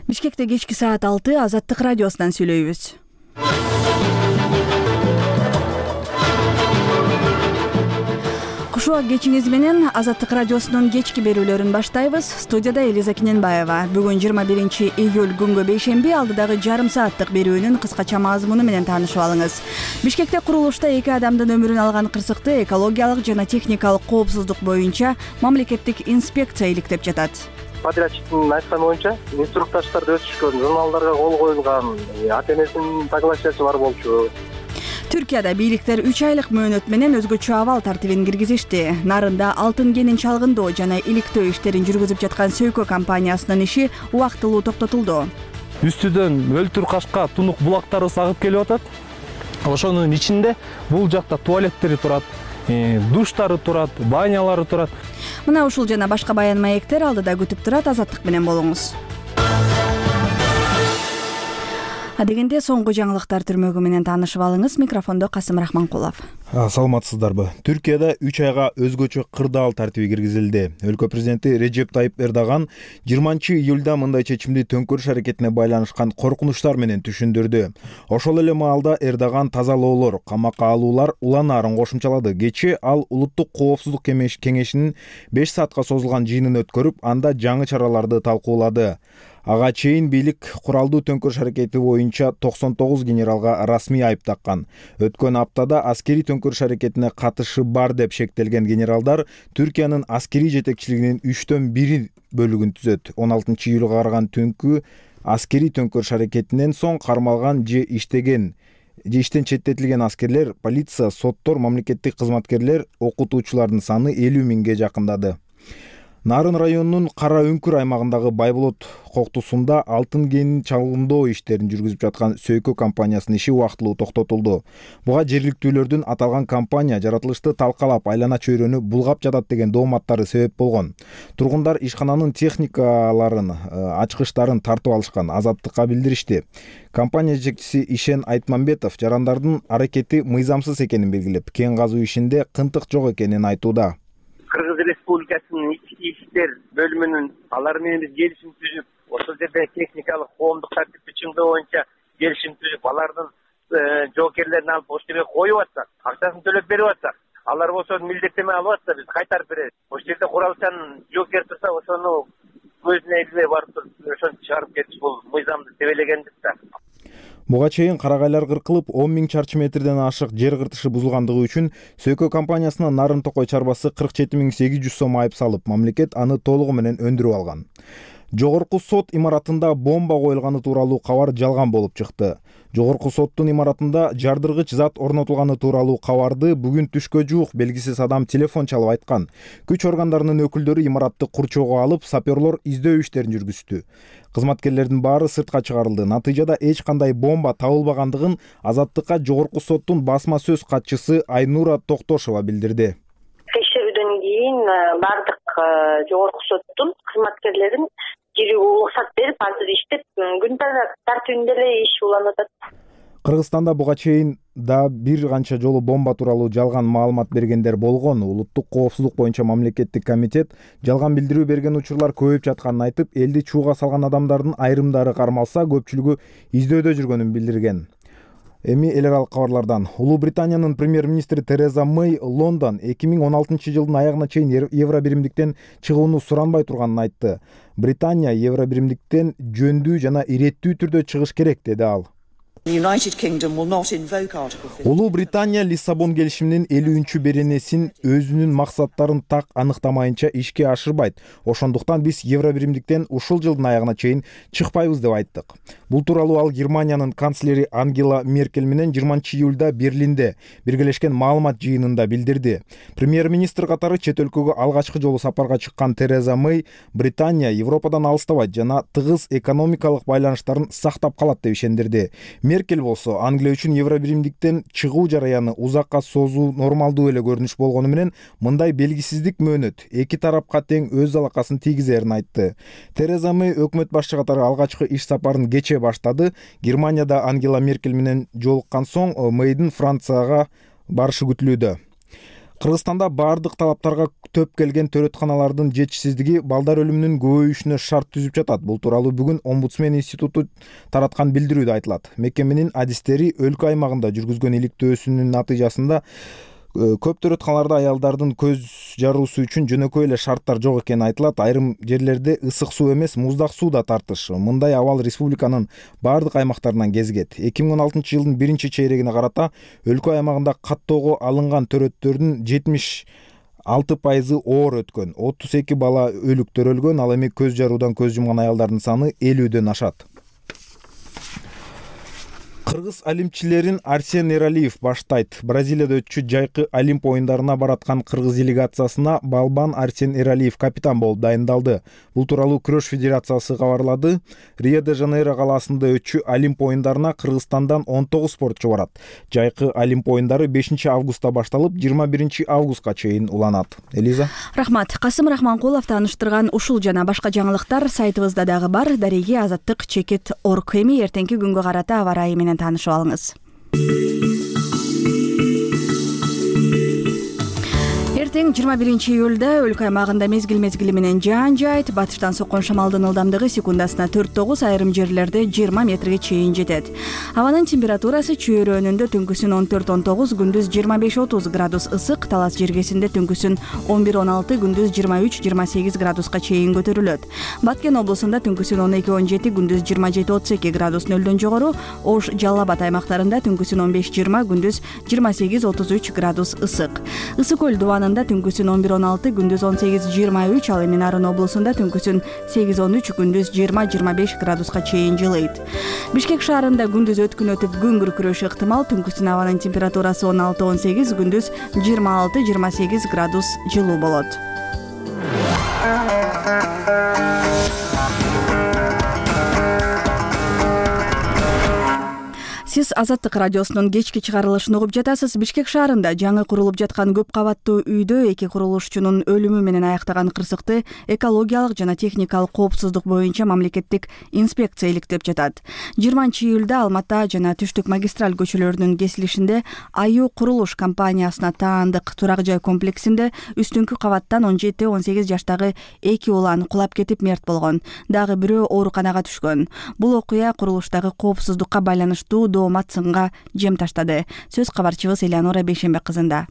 Бишкекте кечки саат 6 Азаттык радиосунан сүйлөйбүз. Кушуак кечиңиз менен Азаттык радиосунун кечки берүүлөрүн баштайбыз. Студияда Элиза Киненбаева. Бүгүн 21 июль күнгө бейшемби, алдыдагы жарым сааттык берүүнүн кыскача мазмуну менен таанышып алыңыз. Бишкекте курулушта 2 адамдын өмүрүн алган кырсыкты экологиялык жана техникалык коопсуздук боюнча мамлекеттик инспекция иликтеп жатат. Подрядчиктин айтканы боюнча инструктаждарды өтүшкөн, журналдарга кол коюлган, АТМсинин согласиясы бар болчу. Түркияда бийликтер 3 айлык мөөнөт менен өзгөчө абал тартибин киргизишти. Нарында алтын кенин чалгындоо жана иликтөө иштерин жүргүзүп жаткан Сөйкө компаниясынын иши убактылуу токтотулду. Үстүдөн өлтүр кашка тунук булактары сагып келип атат. Ошонун ичинде бул жакта туалеттери турат, душтары турат, банялары турат. Мына ушул жана башка баян маектер алдыда күтүп турат. Азаттык менен болуңуз. Адегенде соңку жаңылыктар түрмөгү менен таанышып алыңыз. Микрофондо Касым Рахманкулов. Саламатсыздарбы? Түркияда 3 айга өзгөчө кырдаал тартиби киргизилди. Өлкө президенти Режеп Тайып Эрдоган 20 июлда мындай чечимди төңкөрүш аракетине байланышкан коркунучтар менен түшүндүрдү. Ошол эле маалда Эрдоган тазалоолор, камакка алуулар уланаарын кошумчалады. Кечээ ал улуттук коопсуздук кеңешинин 5 саатка созулган жыйынын өткөрүп, анда жаңы чараларды талкуулады. Ага чейин бийлик куралдуу төңкөрүш аракети боюнча 99 генералга расмий айып таккан. Өткөн аптада аскерий төңкөрүш аракетине катышы бар деп шектелген генералдар Түркиянын аскерий жетекчилигинин 3/1 бөлүгүн түзөт. 16 июлга караган түнкү аскерий төңкөрүш аракетинен соң кармалган же иштен четтетилген аскерлер, полиция, соттор, мамлекеттик кызматкерлер, окутуучулардын саны 50 миңге жакындады. Нарын районунун Кара Үңкүр аймагындагы Байболот коктусунда алтын кенин чалгындоо иштерин жүргүзүп жаткан Сөйкө компаниясынын иши убактылуу токтотулду. Буга жергиликтүүлөрдүн аталган компания жаратылышты талкалап, айлана чөйрөнү булгап жатат деген дооматтары себеп болгон. Тургундар ишкананын техникаларын, ачкычтарын тартып алышкан. Азаттыкка билдиришти. Компания жетекчиси Ишен Айтмамбетов жарандардын аракети мыйзамсыз экенин белгилеп, кен казуу ишинде кынтык жок экенин айтууда. Кыргыз Республикасынын ички иштер бөлүмүнүн алар менен биз келишим түзүп, ошол жерде техникалык коомдук тартипти чыңдоо боюнча келишим түзүп, алардын жоокерлерин алып ошол жерге коюп атсак, акчасын төлөп берип атсак, алар болсо милдеттеме алып атса биз кайтарып беребиз. Ошол жерде куралчан жоокер турса, ошону көзүнө илбей барып туруп ошону чыгарып кетиш бул мыйзамды тебелегендик да. Буга чейин карагайлар кыркылып, 10 000 чарчы метрден ашык жер кыртышы бузулгандыгы үчүн Сөйкө компаниясына Нарын Токой чарбасы 47 800 сом айып салып, мамлекет аны толугу менен өндүрүп алган. Жогорку сот имаратында бомба коюлганы тууралуу кабар жалган болуп чыкты. Жогорку соттун имаратында жардыргыч зат орнотулганы тууралуу кабарды бүгүн түшкө жуук белгисиз адам телефон чалып айткан. Күч органдарынын өкүлдөрү имаратты курчоого алып, саперлор издөө иштерин жүргүздү. Кызматкерлердин баары сыртка чыгарылды. Натыйжада эч кандай бомба табылбагандыгын Азаттыкка жогорку соттун басма сөз катчысы Айнура Токтошова билдирди. Текшерүүдөн кийин бардык жогорку соттун кызматкерлерин кирүүгө уруксат берип, азыр иштеп, күн тартибинде эле иш уланып атат. Кыргызстанда буга чейин да бир канча жолу бомба тууралуу жалган маалымат бергендер болгон. Улуттук коопсуздук боюнча мамлекеттик комитет жалган билдирүү берген учурлар көбөйүп жатканын айтып, элди чууга салган адамдардын айрымдары кармалса, көпчүлүгү издөөдө жүргөнүн билдирген. Эми эл аралык кабарлардан. Улуу Британиянын премьер-министри Тереза Мэй Лондон 2016 жылдын аягына чейин евро биримдиктен чыгууну суранбай турганын айтты. Британия евро биримдиктен жөндүү жана иреттүү түрдө чыгыш керек, деди ал. Улуу Британия Лиссабон келишиминин 50-беренесин өзүнүн максаттарын так аныктамайынча ишке ашырбайт. Ошондуктан биз евро биримдиктен ушул жылдын аягына чейин чыкпайбыз деп айттык. Бул тууралуу ал Германиянын канцлери Ангела Меркель менен 20 июлда Берлинде биргелешкен маалымат жыйынында билдирди. Премьер-министр катары чет өлкөгө алгачкы жолу сапарга чыккан Тереза Мэй Британия Европадан алыстабайт жана тыгыз экономикалык байланыштарын сактап калат деп ишендирди. Меркель болсо Англия үчүн евро биримдиктен чыгуу жараяны узакка созуу нормалдуу эле көрүнүш болгону менен мындай белгисиздик мөөнөт эки тарапка тең өз залакасын тийгизерин айтты. Тереза Мэй өкмөт башчы катары алгачкы иш сапарын кечээ баштады. Германияда Ангела Меркель менен жолуккан соң Мэйдин Францияга барышы күтүлүүдө. Кыргызстанда баардык талаптарга төп келген төрөтканалардын жетишсиздиги балдар өлүмүнүн көбөйүшүнө шарт түзүп жатат. Бул тууралуу бүгүн Омбудсмен институту тараткан билдирүүдө айтылат. Мекеменин адистери өлкө аймагында жүргүзгөн иликтөөсүнүн натыйжасында көп төрөтканаларда аялдардын көз жаруусу үчүн жөнөкөй эле шарттар жок экени айтылат. Айрым жерлерде ысык суу эмес, муздак суу да тартыш. Мындай абал республиканын баардык аймактарынан кезигет. 2016 жылдын биринчи чейрегине карата өлкө аймагында каттоого алынган төрөттөрдүн 76% оор өткөн, 32 бала өлүк төрөлгөн. Ал эми көз жаруудан көз жумган аялдардын саны 50дөн ашат. Кыргыз олимпчилерин Арсен Эралиев баштайт. Бразилияда өтчү жайкы Олимп оюндарына бараткан кыргыз делегациясына балбан Арсен Эралиев капитан болуп дайындалды. Бул тууралуу Күрөш федерациясы кабарлады. Рио-де-Жанейро калаасында өтчү Олимп оюндарына Кыргызстандан 19 спортчу барат. Жайкы Олимп оюндары 5 августта башталып, 21 августка чейин уланат. Элиза. Рахмат. Касым Рахманкулов тааныштырган ушул жана башка жаңылыктар сайтыбызда дагы бар. Дареги Азаттык чекит орг. Эми эртеңки күнгө карата аба ырайы менен таанышып алыңыз. Эртең 21 июлда өлкө аймагында мезгил менен жаан жайт. Батыштан соккон шамалдын ылдамдыгы секундасына 4-9, айрым жерлерде 20 метрге чейин жетет. Абанын температурасы чөйрөнүндө түнкүсүн 14-19, күндүз 25-30 градус ысык, талас жергесинде түнкүсүн 11-16, күндүз 23-28 градуска чейин көтөрүлөт. Баткен облусунда түнкүсүн 12-17, күндүз 27-32 градус нөлдөн жогору, Ош, Жалал Абад аймактарында түнкүсүн 15-20, күндүз 28-33 градус ысык. Ысык көл дубанында түнкүсүн 11-16, күндүз 18-23, ал эми Нарын облусунда түнкүсүн 8-13, күндүз 20-25 градуска чейин жылыйт. Бишкек шаарында күндүз өткүн өтүп күн күркүрөшү ыктымал. Түнкүсүн абанын температурасы 16-18, күндүз 26-28 градус жылуу болот. Сиз Азаттык радиосунун кечки чыгарылышын угуп жатасыз. Бишкек шаарында жаңы курулуп жаткан көп кабаттуу үйдө 2 курулушчунун өлүмү менен аяктаган кырсыкты экологиялык жана техникалык коопсуздук боюнча мамлекеттик инспекция иликтеп жатат. 20 июлда Алмата жана Түштүк магистраль көчөлөрүнүн кесилишинде Аю курулуш компаниясына таандык турак жай комплексинде үстүңкү кабаттан 17-18 жаштагы 2 улан кулап кетип мерт болгон. Дагы бирөө ооруканага түшкөн. Бул окуя курулуштагы коопсуздукка байланыштуу доомат сынга жем таштады. Сөз кабарчыбыз Элеонора Бейшембек кызында.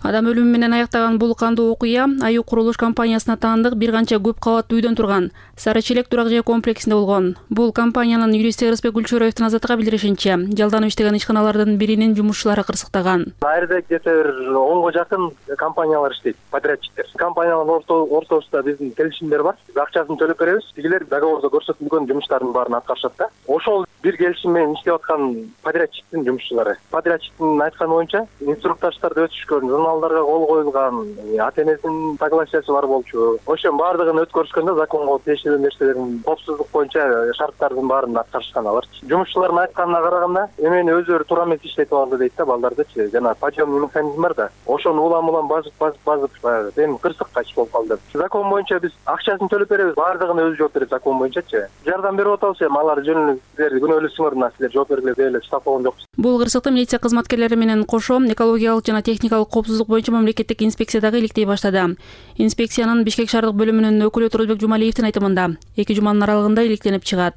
Адам өлүмү менен аяктаган бул кандуу окуя Аю курулуш компаниясына таандык бир канча көп кабаттуу үйдөн турган Сары Челек турак жай комплексинде болгон. Бул компаниянын юристи Ырысбек Гүлчөроевдин Азаттыкка билдиришинче, жалданып иштеген ишканалардын биринин жумушчулары кырсыктаган. Айрда где-то 10га жакын компаниялар иштейт, подрядчиктер. Компаниялардын ортосунда биздин келишимдер бар. Акчасын төлөп беребиз. Тигилер договордо көрсөтүлгөн жумуштардын баарын аткарышат да. Ошол бир келишим менен иштеп аткан подрядчиктин жумушчулары. Подрядчиктин айтканы боюнча инструктаждарды өтүшкөн, журналдарга кол коюлган, ата-энесинин согласиясы бар болчу. Ошонун баардыгын өткөрүшкөндө законго тиешелүү нерселердин коопсуздук боюнча шарттардын баарын аткарышкан алар. Жумушчулардын айтканына караганда, эмени өзүлөрү туура эмес иштетип алды дейт да балдардычы. Жана подъемный механизм бар да. Ошону улам базып баягы эми кырсыкка иш болуп калды. Закон боюнча биз акчасын төлөп беребиз, баардыгына өзү жооп берет закон боюнчачы. Жардам берип атабыз эми алар жөнүндө күнөөлүү мына силер жооп бергиле деп эле штаб болгон жокпуз. Бул кырсыкты милиция кызматкерлери менен кошо экологиялык жана техникалык коопсуздук боюнча мамлекеттик инспекция дагы иликтей баштады. Инспекциянын Бишкек шаардык бөлүмүнүн өкүлү Турузбек Жумалиевдин айтымында 2 жуманын аралыгында иликтенип чыгат.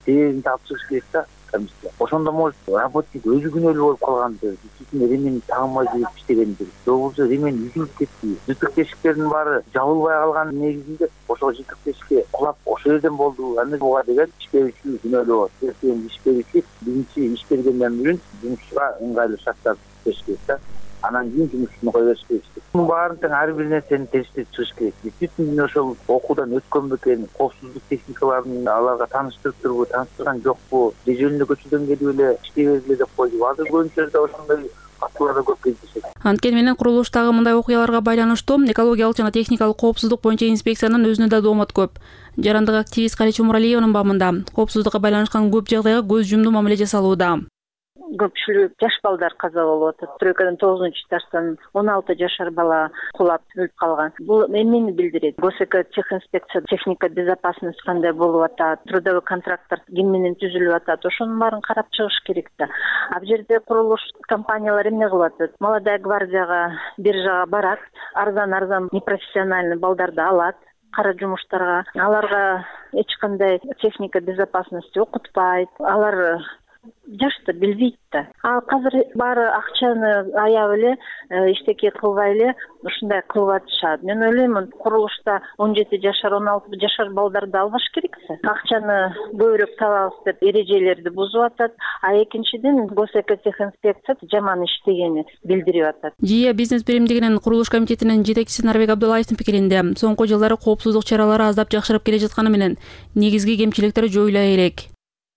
Таап чыгыш керек да. Ошондо может работник өзү күнөөлүү болуп калгандыр, действительно ремень тагынбай жүрүп иштегендир. Же болбосо ремень үзүлүп кетти. Жытык тешиктердин баары жабылбай калган негизинде ошол жытык тешикке кулап ошол жерден болду. Аны буга деген иш берүүчү күнөөлүү болот. Иш берүүчү биринчи иш бергенден бери жумушчуга ыңгайлуу шарттар бериш керек да. Анан кийин жумушчуну кое бериш керек. Мунун баарын тең ар бир нерсени териштирип чыгыш керек. Действительно ошол окуудан өткөн бекен, коопсуздук техникаларын аларга тааныштырып турбу, тааныштырган жокпу, же жөнүндө көчөдөн келип эле иштей бергиле деп койду. Азыр көбүнчө жерде ошондой фактылар да көп кездешет. Анткени менен курулуштагы мындай окуяларга байланыштуу экологиялык жана техникалык коопсуздук боюнча инспекциянын өзүнө да доомат көп. Жарандык активист Калича Муралиеванын бабында коопсуздукка байланышкан көп жагдайга көз жумду мамиле жасалууда. көпчүлүк жаш балдар каза болуп атат. Стройкадан 9-этаждан 16 жашар бала кулап өлүп калган. Бул эмнени билдирет? Госэкотехинспекция, техника безопасность кандай болуп атат, трудовой контракттар ким менен түзүлүп атат, ошонун баарын карап чыгыш керек да. А бул жерде курулуш компаниялар эмне кылып атат? Молодая гвардияга, биржага барат, арзан непрофессиональный балдарды алат кара жумуштарга. Аларга эч кандай техника безопасности окутпайт. Алар жашты билбейт да. Ал азыр баары акчаны аяп эле иштеке кылбай эле ушундай кылып атышат. Мен ойлоймун, курулушта 17 жашар, 16 жашар балдарды албаш керексе. Акчаны көбүрөөк табабыз деп эрежелерди бузуп атат. А экинчиден госэкотехинспекция жаман иштегени билдирип атат. ЖИА бизнес биримдигинин курулуш комитетинин жетекчиси Нарбек Абдуллаевдин пикиринде, соңку жылдары коопсуздук чаралары аздап жакшырып келе жатканы менен негизги кемчиликтер жоюла элек.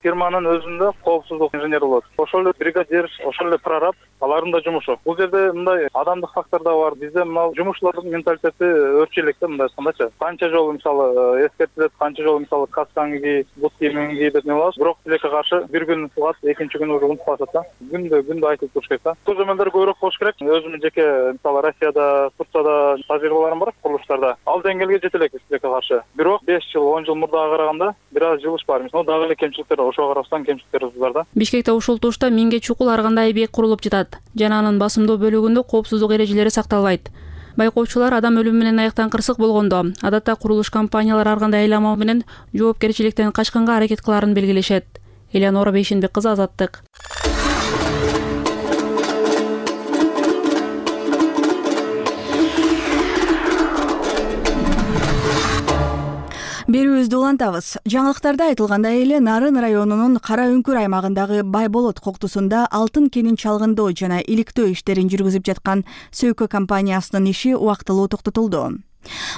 Фирманын өзүндө коопсуздук инженери болот. Ошол эле бригадир, ошол эле прораб, алардын да жумушу. Бул жерде мындай адамдык фактор да бар. Бизде мына жумушчулардын менталитети өзчө электе, мындай айткандачы. Канча жолу мисалы эскертилет, канча жолу мисалы касканы ки, бут кийимин ки деп небалабыз. Бирок тилекке каршы бир күн кылат, экинчи күнү уже унутуп калышат да. Күндө айтып туруш керек да. Көзөмөлдөр көбүрөөк болуш керек. Өзүмдүн жеке мисалы Россияда, Турцияда тажрыйбаларым бар курулуштарда. Ал деңгээлге жете элек тилекке каршы. Бирок 5 жыл, 10 жыл мурдага караганда бир аз жылыш бар. Мисалы дагы эле кемчиликтер, ошого карабастан кемчиликтер бар да. Бишкекте ушул тушта миңге чукул ар кандай объект курулуп жатат. Жана анын басымдуу бөлүгүндө коопсуздук эрежелери сакталбайт. Байкоочулар адам өлүмү менен аяктан кырсык болгондо, адатта курулуш компаниялары ар кандай айламал менен жоопкерчиликтен качканга аракет кыларын белгилешет. Элеонора Бейшенбек кызы, Азаттык. Берүүбүздү улантабыз. Жаңылыктарда айтылгандай эле Нарын районунун Кара Үңкүр аймагындагы Байболот коктусунда алтын кенин чалгындоо жана иликтөө иштерин жүргүзүп жаткан Сөйкө компаниясынын иши убактылуу токтотулду.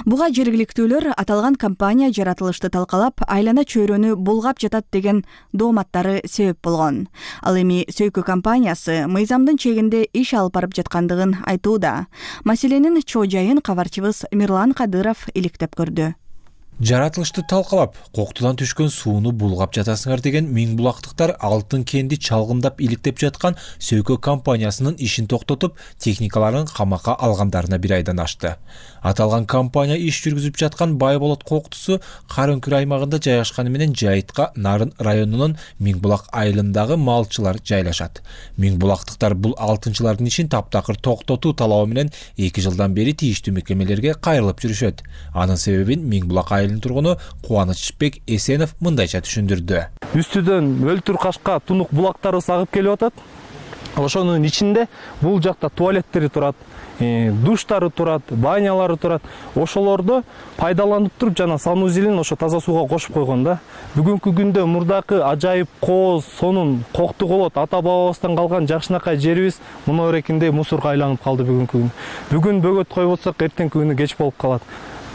Буга жергиликтүүлөр аталган компания жаратылышты талкалап, айлана чөйрөнү булгап жатат деген дооматтары себеп болгон. Ал эми Сөйкө компаниясы мыйзамдын чегинде иш алып барып жаткандыгын айтууда. Маселенин чоо жайын кабарчыбыз Мирлан Кадыров иликтеп көрдү. Жаратылышты талкалап, коктудан түшкөн сууну булгап жатасыңар деген миң булактыктар алтын кенди чалгындап иликтеп жаткан Сөйкө компаниясынын ишин токтотуп, техникаларын камакка алгандарына бир айдан ашты. Аталган компания иш жүргүзүп жаткан Байболот коктусу Кара Үңкүр аймагында жайгашканы менен жайытка Нарын районунун Миңбулак айылындагы малчылар жайлашат. Миңбулактыктар бул алтынчылардын ишин таптакыр токтотуу талабы менен 2 жылдан бери тийиштүү мекемелерге кайрылып жүрүшөт. Анын себебин Миңбулак айылынын тургуну Кубанычбек Эсенов мындайча түшүндүрдү. Үстүдөн өлтүр кашка тунук булактары сагып келип атат. Ошонун ичинде бул жакта туалеттери турат, душтары турат, банялары турат. Ошолорду пайдаланып туруп жана санузелин ошо таза сууга кошуп койгон да. Бүгүнкү күндө мурдакы ажайып кооз, сонун, кокту колот ата бабабыздан калган жакшынакай жерибиз мына эрекинде мусорго айланып калды бүгүнкү күн. Бүгүн бөгөт койбосок эртеңки күнү кеч болуп калат.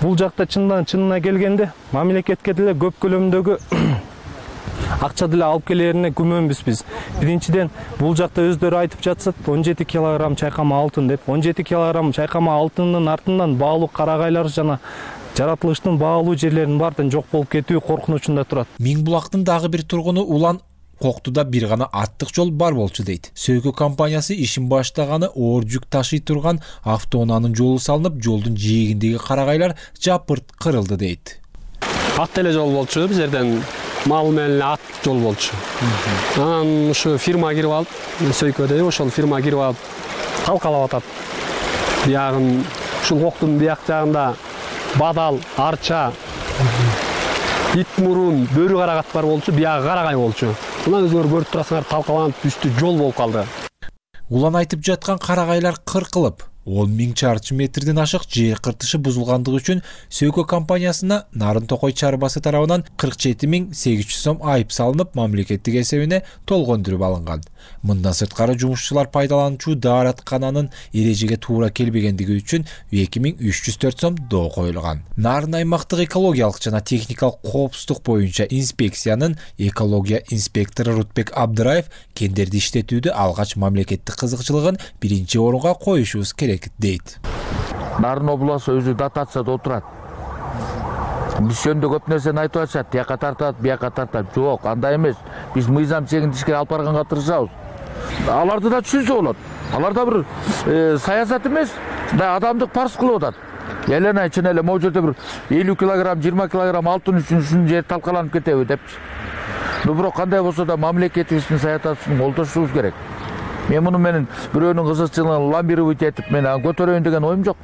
Бул жакта чынына келгенде мамлекетке деле көп көлөмдөгү акча деле алып келерине күмөнбүз биз. Биринчиден, бул жакта өздөрү айтып жатышат 17 килограмм чайкама алтын деп. 17 килограмм чайкама алтындын артынан баалуу карагайлар жана жаратылыштын баалуу жерлеринин баардыгы жок болуп кетүү коркунучунда турат. Миңбулактын дагы бир тургуну Улан коктуда бир гана аттык жол бар болчу дейт. Сөйкө компаниясы ишин баштаганы оор жүк ташый турган автоунаанын жолу салынып, жолдун жээгиндеги карагайлар жапырт кырылды дейт. Ат эле жол болчу, бул жерден мал менен ат жол болчу. Анан ушу фирма кирип алып, Сөйкөдө ошол фирма кирип алып талкалап атат. Биягын ушул коктун бияк жагында бадал, арча, ит мурун, бөрү карагат бар болчу, биягы карагай болчу. Мына өзүңөр көрүп турасыңар, талкаланып үстү жол болуп калды. Улан айтып жаткан карагайлар кыркылып, 10 000 чарчы метрден ашык жер кыртышы бузулгандыгы үчүн Сөйкө компаниясына Нарын Токой чарбасы тарабынан 47 800 сом айып салынып, мамлекеттик эсебине толгондуруп алынган. Мындан сырткары жумушчулар пайдалануучу даараткананын эрежеге туура келбегендиги үчүн 2304 сом доо коюлган. Нарын аймактык экологиялык жана техникалык коопсуздук боюнча инспекциянын экология инспектору Рутбек Абдыраев кендерди иштетүүдө алгач мамлекеттик кызыкчылыгын биринчи орунга коюшубуз керек дейт. Нарын областы өзү дотацияда отурат. Биз жөнүндө көп нерсени айтып атышат, тияка тартат, бияка тартат. Жок, андай эмес. Биз мыйзам чегинде ишке алып барганга тырышабыз. аларды да түшүнсө болот. Алар да бир саясат эмес, да адамдык парс кылып атат. Элена чын эле могу жерде бир 50 килограмм, 20 килограмм алтын үчүн жер талкаланып кетеби депчи. Бирок кандай болсо да мамлекетибиздин саясатын колдошубуз керек. Мен муну менен бирөөнүн кызыкчылыгын ламбировать этип мен көтөрөйүн деген оюм жок.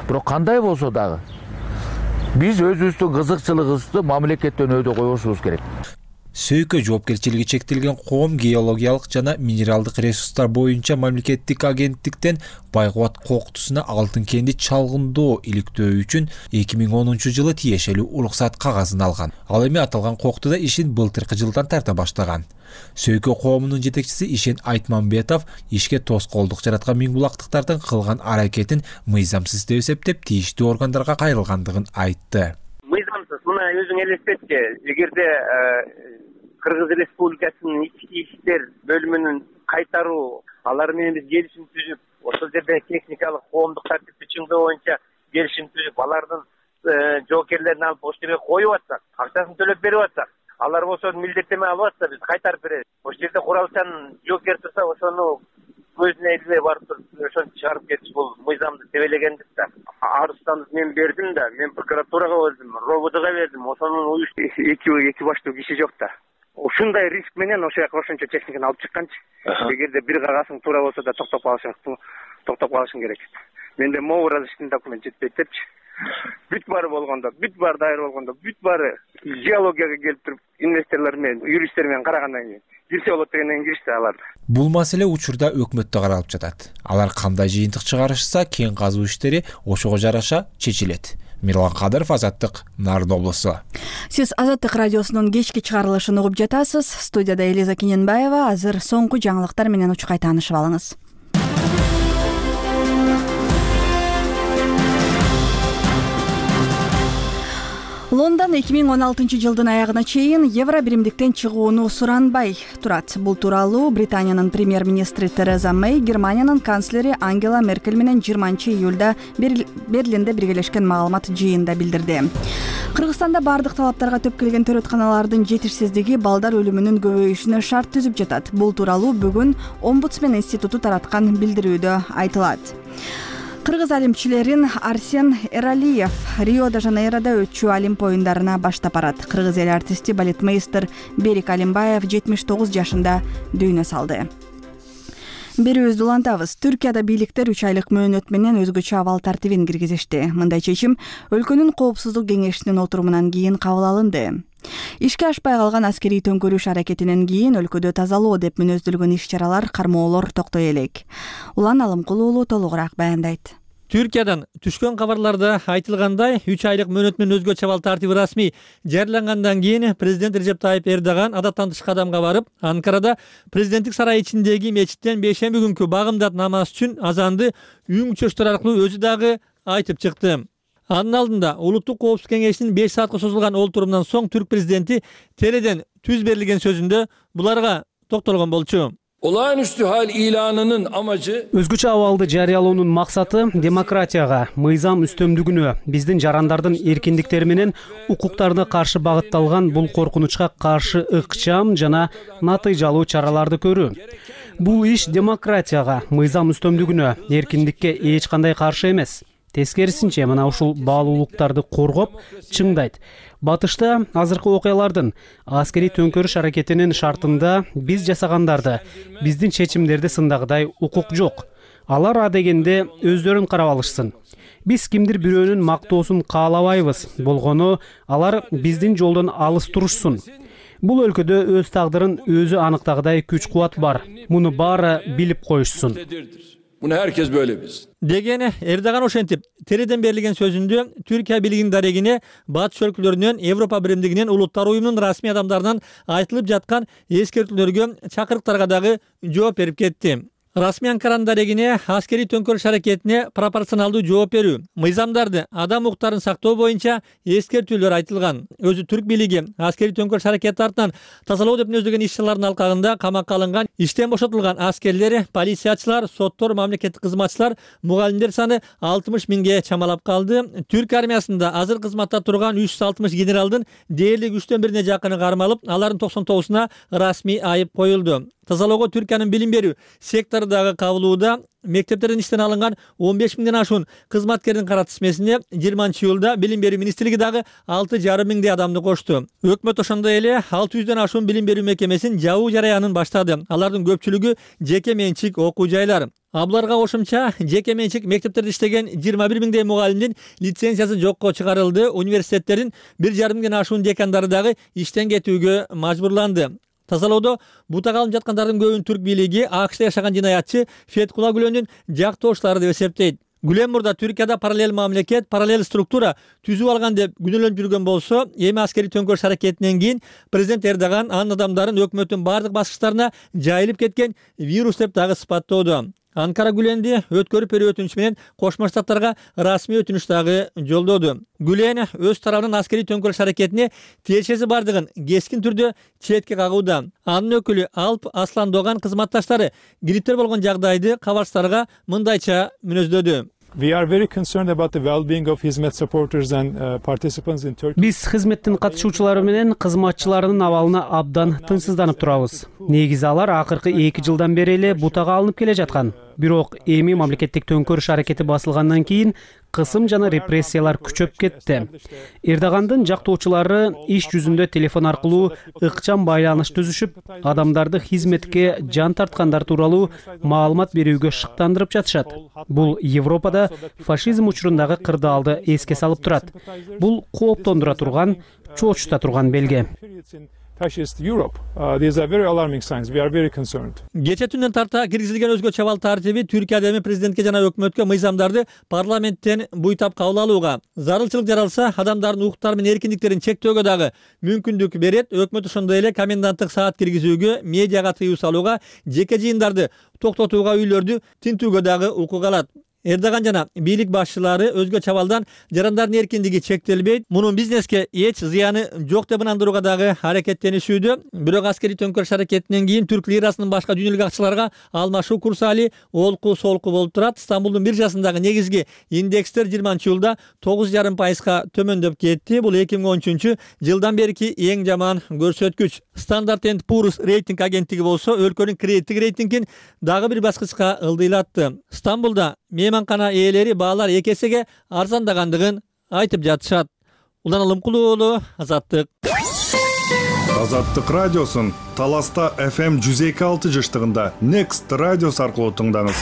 Бирок кандай болсо дагы биз өзүбүздүн кызыкчылыгыбызды мамлекеттен өйдө койбошубуз керек. Сөйкө жоопкерчилиги чектелген коом геологиялык жана минералдык ресурстар боюнча мамлекеттик агенттиктен Байгубат коктусуна алтын кенди чалгындоо иликтөө үчүн 2010-жылы тиешелүү уруксат кагазын алган. Ал эми аталган коктуда ишин былтыркы жылдан тарта баштаган. Сөйкө коомунун жетекчиси Ишен Айтмамбетов ишке тоскоолдук жараткан миңбулактыктардын кылган аракетин мыйзамсыз деп эсептеп, тийиштүү органдарга кайрылгандыгын айтты. Мыйзамсыз, мына өзүң элестетчи, эгерде Кыргыз Республикасынын ички иштер бөлүмүнүн кайтаруу, алар менен биз келишим түзүп, ошол жерде техникалык коомдук тартипти чыңдоо боюнча келишим түзүп, алардын жоокерлерин алып ошол жерге коюп атсак, акчасын төлөп берип атсак, алар болсо милдеттеме алып атса биз кайтарып беребиз. Ошол жерде куралчан жоокер турса, ошону көзүнө илбей барып туруп ошону чыгарып кетиш бул мыйзамды тебелегендик да. Арызданып мен бердим да, мен прокуратурага бердим, РОВДга бердим, ошонун эки баштуу киши жок да. Ушундай риск менен ошол жака ошончо техниканы алып чыкканчы. Эгерде бир кагасың туура болсо да токтоп калышың керек. Менде могу разрешительный документ жетпейт депчи. Бүт баары болгондо, бүт баары дайыр болгондо, бүт баары геологияга келип туруп инвесторлор менен, юристтер менен карагандан кийин кирсе болот дегенден киришти алар. Бул маселе учурда өкмөттө каралып жатат. Алар кандай жыйынтык чыгарышса, кен казуу иштери ошого жараша чечилет. Мирлан Кадыров, Азаттык, Нарын облусу. Сиз Азаттык радиосунун кечки чыгарылышын угуп жатасыз. Студияда Элиза Кененбаева. Азыр соңку жаңылыктар менен учкай таанышып алыңыз. Лондон 2016-жылдын аягына чейин евро биримдиктен чыгууну суранбай турат. Бул тууралуу Британиянын премьер-министри Тереза Мэй Германиянын канцлери Ангела Меркель менен 20-июлда Берлинде биргелешкен маалымат жыйынында билдирди. Кыргызстанда бардык талаптарга төп келген төрөтканалардын жетишсиздиги балдар өлүмүнүн көбөйүшүнө шарт түзүп жатат. Бул тууралуу бүгүн Омбудсмен институту тараткан билдирүүдө айтылат. Кыргыз алимчилерин Арсен Эралиев Рио-де-Жанейрода өтчү Олимп оюндарына баштап барат. Кыргыз эл артисти балетмейстер Берик Алимбаев 79 жашында дүйнө салды. Берүүбүздү улантабыз. Түркияда бийликтер 3 айлык мөөнөт менен өзгөчө абал тартибин киргизишти. Мындай чечим өлкөнүн коопсуздук кеңешинин отурумунан кийин кабыл алынды. Ишке ашпай калган аскерий төңкөрүш аракетинен кийин өлкөдө тазалоо деп мүнөздөлгөн иш-чаралар, кармоолор токтой элек. Улан Алымкул уулу толугураак баяндайт. Түркиядан түшкөн кабарларда айтылгандай, 3 айлык мөөнөт менен өзгөчө абал тартиби расмий жарыялангандан кийин президент Режеп Тайып Эрдоган адаттан тыш кадамга барып, Анкарада президенттик сарай ичиндеги мечиттен бейшемби күнкү багымдат намаз үчүн азанды үн чөчтөр аркылуу өзү дагы айтып чыкты. Анын алдында Улуттук коопсуздук кеңешинин 5 саатка созулган олтурумунан соң түрк президенти тереден түз берилген сөзүндө буларга токтолгон болчу. Olağanüstü hal ilanının amacı өзгөчө абалды жарыялоонун максаты демократияга, мыйзам үстөмдүгүнө, биздин жарандардын эркиндиктери менен укуктарына каршы багытталган бул коркунучка каршы ыкчам жана натыйжалуу чараларды көрүү. Бул иш демократияга, мыйзам үстөмдүгүнө, эркиндикке эч кандай каршы эмес. Тескерисинче, мына ушул баалуулуктарды коргоп чыңдайт. Батышта азыркы окуялардын аскерий төңкөрүш аракетинин шартында биз жасагандарды, биздин чечимдерди сындагыдай укук жок. Алар адегенде өздөрүн карап алышсын. Биз кимдир бирөөнүн мактоосун каалабайбыз. Болгону алар биздин жолдон алыс турушсун. Бул өлкөдө өз тагдырын өзү аныктагыдай күч кубат бар. Муну баары билип коюшсун. Bunu herkes böyle bilsin. Деген Эрдоган ошентип, тереден берилген сөзүндө Түркия бийлигинин дарегине батыш өлкөлөрүнөн, Европа биримдигинен, улуттар уюмунун расмий адамдарынан айтылып жаткан эскертүүлөргө, чакырыктарга дагы жооп берип кетти. Расмий Анкаранын дарегине аскерий төңкөрүш аракетине пропорционалдуу жооп берүү, мыйзамдарды, адам укуктарын сактоо боюнча эскертүүлөр айтылган. Өзү түрк бийлиги аскерий төңкөрүш аракети артынан тазалоо деп мүнөздөгөн иш-чаралардын алкагында камакка алынган, иштен бошотулган аскерлер, полициячылар, соттор, мамлекеттик кызматчылар, мугалимдер саны 60 миңге чамалап калды. Түрк армиясында азыр кызматта турган 360 генералдын дээрлик 3/1 жакыны кармалып, алардын 99-уна расмий айып коюлду. Тазалоого Түркиянын билим берүү секторундагы кабылууда мектептерден иштен алынган 15 миңден ашуун кызматкердин кара тизмесине 20-жылда билим берүү министрлиги дагы 6,5 миңдей адамды кошту. Өкмөт ошондой эле 600дөн ашуун билим берүү мекемесин жабуу жараянын баштады. Алардын көпчүлүгү жеке менчик окуу жайлар. Буларга кошумча жеке менчик мектептерде иштеген 21 миңдей мугалимдин лицензиясы жокко чыгарылды. Университеттердин 1,5 миңден ашуун декандары дагы иштен кетүүгө мажбурланды. Тазалоодо бутак алынып жаткандардын көбүн түрк бийлиги АКШда жашаган жинаятчы Феткула Гүлөндүн жактоочулары деп эсептейт. Гүлен мурда Түркияда параллель мамлекет, параллель структура түзүп алган деп күнөөлөнүп жүргөн болсо, эми аскерий төңкөрүш аракетинен кийин президент Эрдоган анын адамдарын өкмөттүн бардык баскычтарына жайылып кеткен вирус деп дагы сыпаттоодо. Анкара Гүленди өткөрүп берүү өтүнүчү менен Кошмо Штаттарга расмий өтүнүч дагы жолдоду. Гүлен өз тарабынан аскерий төңкөрүш аракетине тиешеси бардыгын кескин түрдө четке кагууда. Анын өкүлү Алп Асландоган кызматташтары гриптер болгон жагдайды кабарчыларга мындайча мүнөздөдү. We are very concerned about the well-being of Hizmet supporters and participants in Turkey. Биз хизметтин катышуучулары менен кызматчыларынын абалына абдан тынчсызданып турабыз. Негизи алар акыркы 2 жылдан бери эле бутага алынып келе жаткан. Бирок эми мамлекеттик төңкөрүш аракети басылгандан кийин кысым жана репрессиялар күчөп кетти. Эрдогандын жактоочулары иш жүзүндө телефон аркылуу ыкчам байланыш түзүшүп, адамдарды хизметке жан тарткандар тууралуу маалымат берүүгө шыктандырып жатышат. Бул Европада фашизм учурундагы кырдаалды эске салып турат. Бул кооптондура турган, чоочута турган белге. Fascist Europe. These are very alarming signs. We are very concerned. Кече түндөн тарта киргизилген өзгө чабал тартиби Түркияда эми президентке жана өкмөткө мыйзамдарды парламенттен буйтап кабыл алууга, зарылчылык жаралса адамдардын укуктары менен эркиндиктерин чектөөгө дагы мүмкүндүк берет. Өкмөт ошондой эле коменданттык саат киргизүүгө, медиага тыюу салууга, жеке жыйындарды токтотууга, үйлөрдү тинтүүгө дагы укук алат. Эрдоган жана бийлик башчылары өзгө чабалдан жарандардын эркиндиги чектелбейт, мунун бизнеске эч зыяны жок деп ынандырууга дагы аракеттенишүүдө. Бирок аскерий төңкөрүш аракетинен кийин түрк лирасынын башка дүйнөлүк акчаларга алмашуу курсали олку-солку болуп турат. Стамбулдун биржасындагы негизги индекстер 20-жылда 9,5% төмөндөп кетти. Бул 2013 жылдан берки эң жаман көрсөткүч. Standard & Poor's рейтинг агенттиги болсо өлкөнүн кредиттик рейтингин дагы бир баскычка ылдыйлатты. Стамбулда мейманкана ээлери баалар 2 эсеге арзандагандыгын айтып жатышат. Улан Алымкулуу уулу, Азаттык. Азаттык радиосун Таласта FM 102.6 жыштыгында Next радиос аркылуу тыңдаңыз.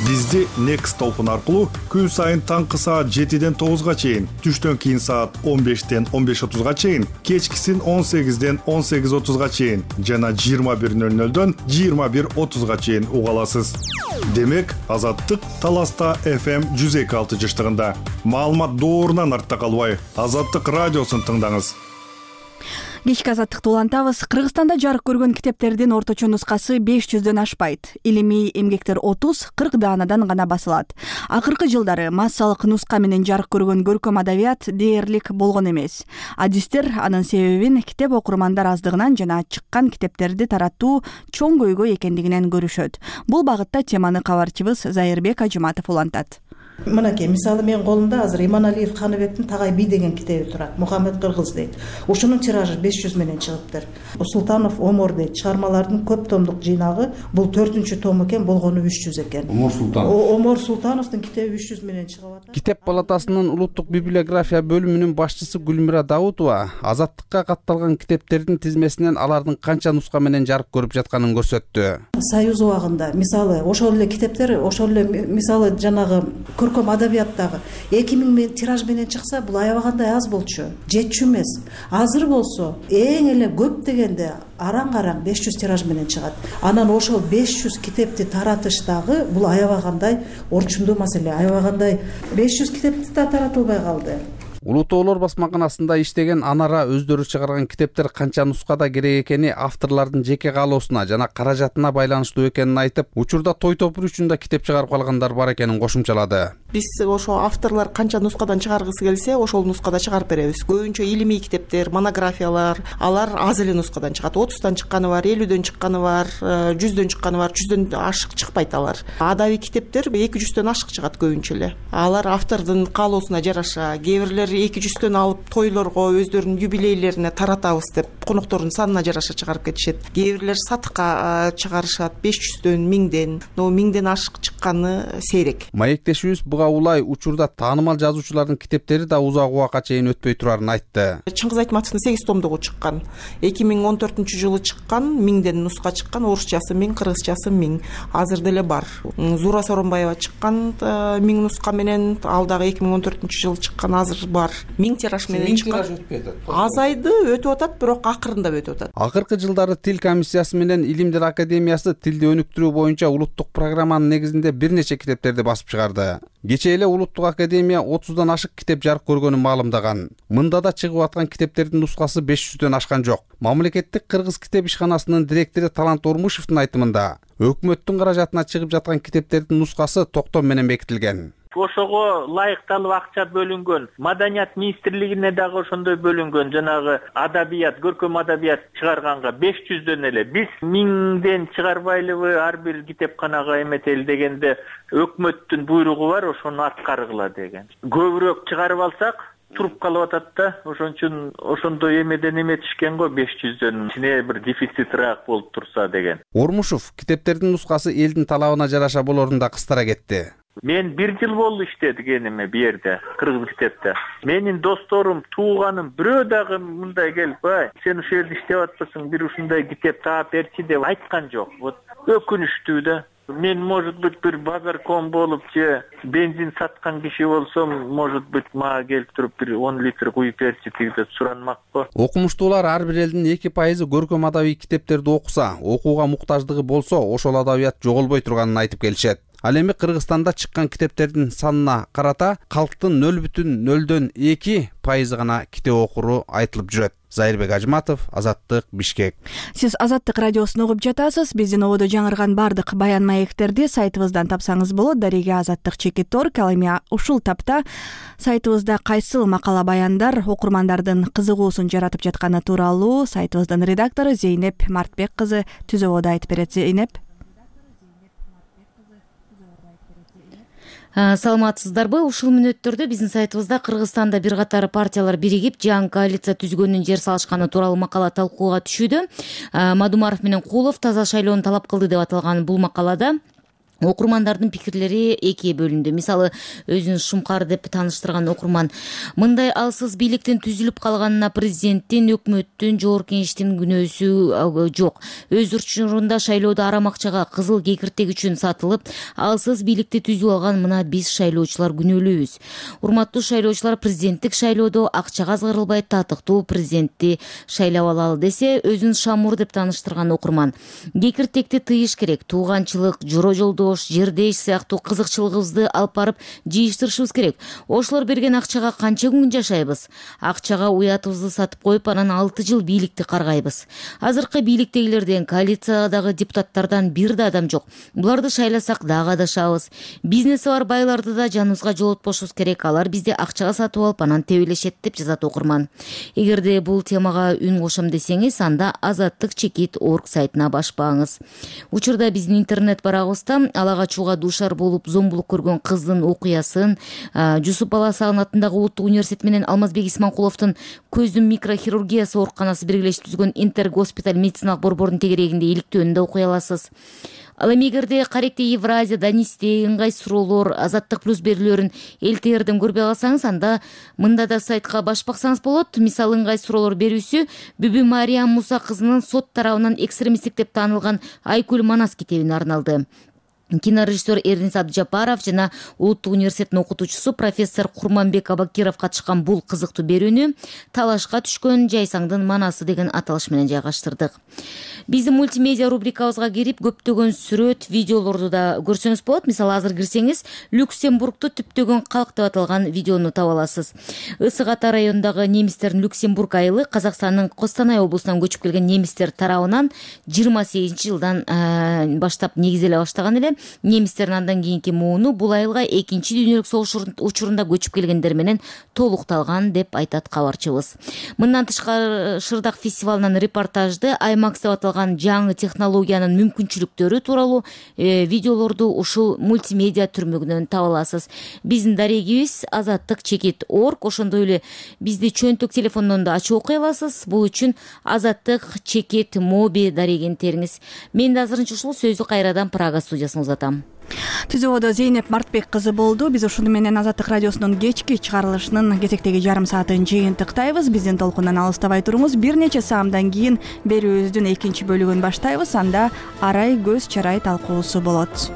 Бизди Next толкун аркылуу күн сайын таңкы саат 7ден 9га чейин, түштөн кийин саат 15ден 15:30га чейин, кечкисин 18ден 18:30га чейин жана 21:00дөн 21:30га чейин уга аласыз. Демек, Азаттык Таласта FM 102.6 жыштыгында. Маалымат доорунан артта калбай, Азаттык радиосун тыңдаңыз. Кечки азаттыкты улантабыз. Кыргызстанда жарык көргөн китептердин орточо нускасы 500дөн ашпайт. Илимий эмгектер 30-40 даанадан гана басылат. Акыркы жылдары массалык нуска менен жарык көргөн көркөм адабият дээрлик болгон эмес. Адистер анын себебин китеп окурмандар аздыгынан жана чыккан китептерди таратуу чоң көйгөй экендигинен көрүшөт. Бул багытта теманы кабарчыбыз Зайырбек Ажыматов улантат. Мынакей, мисалы менин колумда азыр Иманалиев Каныбектин Тагай бий деген китеби турат. Мухаммед Кыргыз дейт. Ушунун тиражы 500 менен чыгыптыр. Султанов Омор дейт. Чыгармалардын көп томдук жыйнагы. Бул 4-том экен, болгону 300 экен. Омор Султановдун китеби 300 менен чыгып атат. Китеп палатасынын улуттук библиография бөлүмүнүн башчысы Гүлмира Даутова Азаттыкка катталган китептердин тизмесинен алардын канча нуска менен жарык көрүп жатканын көрсөттү. Союз убагында мисалы ошол эле китептер, ошол эле мисалы жанагы көркөм адабияттагы 2000 тираж менен чыкса, бул аябагандай аз болчу. Жетчү эмес. Азыр болсо эң эле көп дегенде араң-араң 500 тираж менен чыгат. Анан ошол 500 китепти таратыштагы бул аябагандай орчундуу маселе. Аябагандай 500 китепти да таратылбай калды. Улуу Тоолор басмаканасында иштеген Анара өздөрү чыгарган китептер канча нускада керек экени авторлордун жеке каалоосуна жана каражатына байланыштуу экенин айтып, учурда той топур үчүн да китеп чыгарып калгандар бар экенин кошумчалады. Биз ошо авторлор канча нускадан чыгаргысы келсе, ошол нускада чыгарып беребиз. Көбүнчө илимий китептер, монографиялар, алар аз эле нускадан чыгат. 30тан чыкканы бар, 50дөн чыкканы бар, 100дөн чыкканы бар, 100дөн ашык чыкпайт алар. Адабий китептер 200дөн ашык чыгат көбүнчө эле. Алар автордун каалоосуна жараша, кээ бирлер 200дөн алып тойлорго, өздөрүнүн юбилейлерине таратабыз деп коноктордун санына жараша чыгарып кетишет. Кээ бирлер сатыкка чыгарышат 500дөн, 1000ден, но 1000ден ашык чыкканы сейрек. Маектешибиз буга улай учурда таанымал жазуучулардын китептери да узак убакка чейин өтпөй турарын айтты. Чыңгыз Айтматовдун 8 томдугу чыккан. 2014-жылы чыккан, 1000ден нуска чыккан, орусчасы 1000, кыргызчасы 1000. Азыр деле бар. Зура Соронбаева чыккан 1000 нуска менен, ал дагы 2014-жылы чыккан, азыр бар. 1000 тираж менен чыккан. Азайды, өтүп атат, бирок акырындап өтүп атат. Акыркы жылдары Тил комиссиясы менен Илимдер академиясы тилди өнүктүрүү боюнча улуттук программанын негизинде бир нече китептерди басып чыгарды. Кечээ эле Улуттук академия 30дан ашык китеп жарык көргөнүн маалымдаган. Мында да чыгып аткан китептердин нускасы 500дөн ашкан жок. Мамлекеттик кыргыз китеп ишканасынын директору Талант Ормушевдун айтымында, өкмөттүн каражатына чыгып жаткан китептердин нускасы токтом менен бекитилген. Ошого ылайыкталып акча бөлүнгөн. Маданият министрлигине дагы ошондой бөлүнгөн. Жанагы адабият, көркөм адабият чыгарганга 500дөн эле. Биз 1000ден чыгарбайлыбы, ар бир китепканага эметели дегенде өкмөттүн буйругу бар, ошону аткаргыла деген. Көбүрөөк чыгарып алсак, туруп калып атат да. Ошон үчүн ошондой эмеден эметишкен го 500дөн. Ичине бир дефицитрак болуп турса деген. Ормушев китептердин нускасы элдин талабына жараша болорун да кыстара кетти. Мен 1 жыл болду иштедигениме бу жерде, кыргыз китепте. Менин досторум, тууганым бирөө дагы мындай келип, "Ай, сен ушул жерде иштеп атпасың, бир ушундай китеп таап берчи" деп айткан жок. Вот өкүнүчтүү да. Мен, может быть, бир базарком болуп же бензин саткан киши болсом, может быть, мага келип туруп бир 10 литр куюп берчи деп суранмакпы. Окумуштуулар ар бир элдин 2% көркөм адабий китептерди окуса, окууга муктаждыгы болсо, ошол адабият жоголбой турганын айтып келишет. Ал эми Кыргызстанда чыккан китептердин санына карата калктын 0,02% гана китеп окуру айтылып жүрөт. Зайырбек Ажматов, Азаттык, Бишкек. Сиз Азаттык радиосун угуп жатасыз. Биздин ободо жаңырган бардык баян маектерди сайтыбыздан тапсаңыз болот. Дареге Азаттык.org. Ал эми ушул тапта сайтыбызда кайсыл макала баяндар окурмандардын кызыгуусун жаратып жатканы тууралуу сайтыбыздын редактору Зейнеп Мартбек кызы түзөбодо айтып берет. Зейнеп. Саламатсыздарбы? Ушул мүнөттөрдө биздин сайтыбызда Кыргызстанда бир катар партиялар биригип жаңы коалиция түзгөнүн жер салышканы тууралуу макала талкууга түшүүдө. Мадумаров менен Кулов таза шайлоону талап кылды деп аталган бул макалада окурмандардын пикирлери экиге бөлүндү. Мисалы, өзүн шумкар деп тааныштырган окурман мындай алсыз бийликтин түзүлүп калганына президенттин, өкмөттүн, жогорку кеңештин күнөөсү жок. Өз учурунда шайлоодо арам акчага кызыл кекиртек үчүн сатылып, алсыз бийликти түзүп алган мына биз шайлоочулар күнөөлүүбүз. Урматтуу шайлоочулар, президенттик шайлоодо акчага азгырылбай татыктуу президентти шайлап алалы десе, өзүн шамур деп тааныштырган окурман кекиртекти тыйыш керек, тууганчылык, жора жолдо жердеш сыяктуу кызыкчылыгыбызды алып барып жыйыштырышыбыз керек. Ошолор берген акчага канча күн жашайбыз? Акчага уятыбызды сатып коюп, анан 6 жыл бийликти каргайбыз. Азыркы бийликтегилерден, коалициядагы депутаттардан бир да адам жок. Буларды шайласак дагы адашабыз. Бизнеси бар байларды да жаныбызга жолотпошубуз керек. Алар бизди акчага сатып алып, анан тебелешет деп жазат окурман. Эгерде бул темага үн кошом десеңиз, анда Азаттык.org сайтына башпаңыз. Учурда биздин интернет барагыбызда ала качууга дуушар болуп зомбулук көргөн кыздын окуясын, Жусуп Баласагын атындагы Улуттук университет менен Алмазбек Исманкуловдун көздүн микрохирургиясы ооруканасы биргелешип түзгөн Интергоспиталь медициналык борбордун тегерегинде иликтөөнү да окуй аласыз. Ал эми эгерде Каректе Евразия, Данисте, ыңгай суроолор, Азаттык плюс берүүлөрүн ЛТРден көрбөй калсаңыз, анда мында да сайтка башпаксаңыз болот. Мисалы, ыңгай суроолор берүүсү Бүбү Мариям Муса кызынын сот тарабынан экстремисттик деп таанылган Айкүл Манас китебине арналды. кинорежиссер Эрнис Абдыжапаров жана Улуттук университеттин окутуучусу профессор Курманбек Абакиров катышкан бул кызыктуу берүүнү талашка түшкөн жайсаңдын манасы деген аталыш менен жайгаштырдык. Биздин мультимедиа рубрикабызга кирип көптөгөн сүрөт, видеолорду да көрсөңүз болот. Мисалы, азыр кирсеңиз Люксембургду түптөгөн калк деп аталган видеону таба аласыз. Ысык Ата районундагы немистердин Люксембург айылы Казакстандын Костанай облусунан көчүп келген немистер тарабынан 28-жылдан баштап негизделе баштаган эле. Немистердин андан кийинки мууну бул айылга экинчи дүйнөлүк согуш учурунда көчүп келгендер менен толукталган деп айтат кабарчыбыз. Мындан тышкары Шырдак фестивалынан репортажды IMAX деп аталган жаңы технологиянын мүмкүнчүлүктөрү тууралуу видеолорду ушул мультимедиа түрмөгүнөн таба аласыз. Биздин дарегибиз azattik.org, ошондой эле бизди чөнтөк телефондон да ачып окуй аласыз. Бул үчүн azattik.mobi дарегин териңиз. Мен да азырынча ушул сөздү кайрадан Прага студиясына узатам. Түзүүдө Зейнеп Мартбек кызы болду. Биз ушуну менен Азаттык радиосунун кечки чыгарылышынын кезектеги жарым саатын жыйынтыктайбыз. Биздин толкундан алыстабай туруңуз. Бир нече саамдан кийин берүүбүздүн экинчи бөлүгүн баштайбыз. Анда арай көз чарай талкуусу болот.